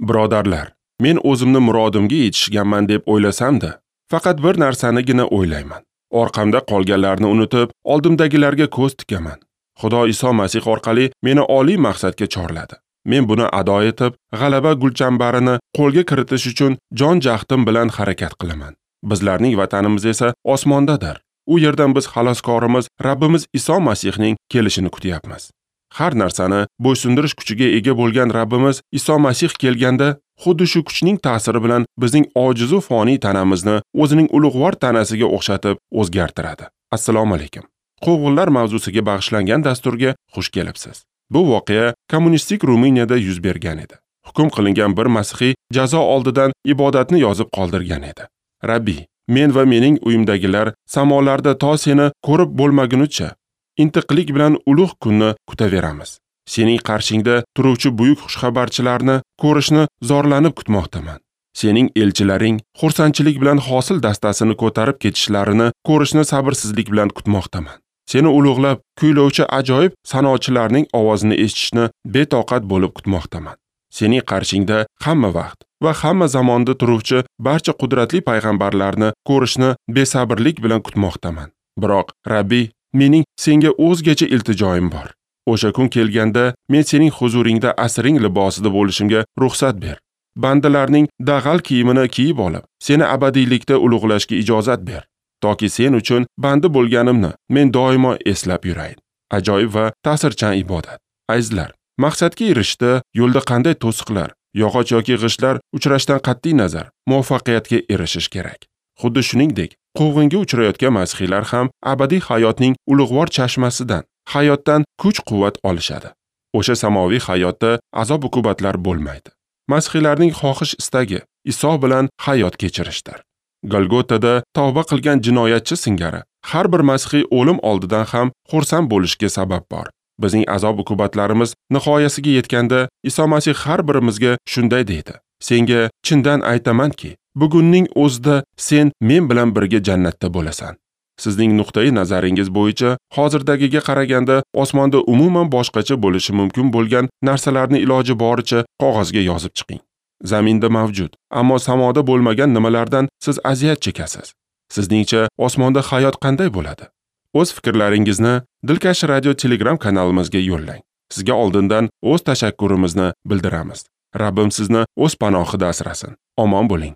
Birodarlar, men o'zimni murodimga yetishganman deb o'ylasam-da, faqat bir narsanigina o'ylayman. Orqamda qolganlarni unutib, oldimdagilarga ko'z tikaman. Xudo Iso Masih orqali meni oliy maqsadga chorladi. Men buni ado etib, g'alaba gulchambarini qo'lga kiritish uchun jon jahdim bilan harakat qilaman. Bizlarning vatanimiz esa osmondadir. U yerdan biz xaloskorimiz Rabbimiz Iso Masihning kelishini kutyapmiz. Har narsani bo'ysundirish kuchiga ega bo'lgan Rabbimiz Iso Masih kelganda, xuddi shu kuchning ta'siri bilan bizning ojizu foniy tanamizni o'zining ulug'vor tanasiga o'xshatib o'zgartiradi. Assalomu alaykum. Quvg'inlar mavzusiga bag'ishlangan dasturga xush kelibsiz. Bu voqea kommunistik Ruminiyada yuz bergan edi. Hukm qilingan bir masihiy jazo oldidan ibodatni yozib qoldirgan edi. Rabbi, men va mening uyimdagilar samolarda to seni ko'rib bo'lmagunicha intiqlik bilan ulug' kunni kutaveramiz. Sening qarshingda turuvchi buyuk xushxabarchilarni ko'rishni zorlanib kutmoqdaman. Sening elchilaring xursandchilik bilan hosil dastasini ko'tarib ketishlarini ko'rishni sabrsizlik bilan kutmoqdaman. Seni ulug'lab kuylovchi ajoyib sanochilarning ovozini eshitishni betoqat bo'lib kutmoqdaman. Sening qarshingda hamma vaqt va hamma zamonda turuvchi barcha qudratli payg'ambarlarni ko'rishni besabrlik bilan kutmoqdaman. Biroq Rabbi, mening senga o'zgacha iltijoyim bor. O'sha kun kelganda men sening huzuringda asring libosida bo'lishimga ruxsat ber. Bandalarning dag'al kiyimini kiyib olib, seni abadiylikda ulug'lashga ijozat ber. Toki sen uchun bandi bo'lganimni men doimo eslab yurayin. Ajoyib va ta'sirchan ibodat. Azizlar, maqsadga erishishda yo'lda qanday to'siqlar, yog'och yoki g'ishtlar uchrashdan qat'iy nazar muvaffaqiyatga erishish kerak. Xuddi shuningdek, quvg'inga uchrayotgan masihiylar ham abadiy hayotning ulug'vor chashmasidan, hayotdan kuch-quvvat olishadi. O'sha samoviy hayotda azob-uqubatlar bo'lmaydi. Masihiylarning xohish istagi Iso bilan hayot kechirishdir. Golgotada tavba qilgan jinoyatchi singari har bir masihiy o'lim oldidan ham xursand bo'lishga sabab bor. Bizning azob-uqubatlarimiz nihoyasiga yetganda Iso Masih har birimizga shunday deydi: Senga chindan aytamanki, bugunning o'zida sen men bilan birga jannatda bo'lasan. Sizning nuqtai nazaringiz bo'yicha hozirdagiga qaraganda osmonda umuman boshqacha bo'lishi mumkin bo'lgan narsalarni iloji boricha qog'ozga yozib chiqing. Zaminda mavjud, ammo samoda bo'lmagan nimalardan siz aziyat chekasiz. Sizningcha osmonda hayot qanday bo'ladi? O'z fikrlaringizni Dilkash Radio Telegram kanalimizga yo'llang. Sizga oldindan o'z tashakkurimizni bildiramiz. Rabbim sizni o'z panohida asrasin. Omon bo'ling.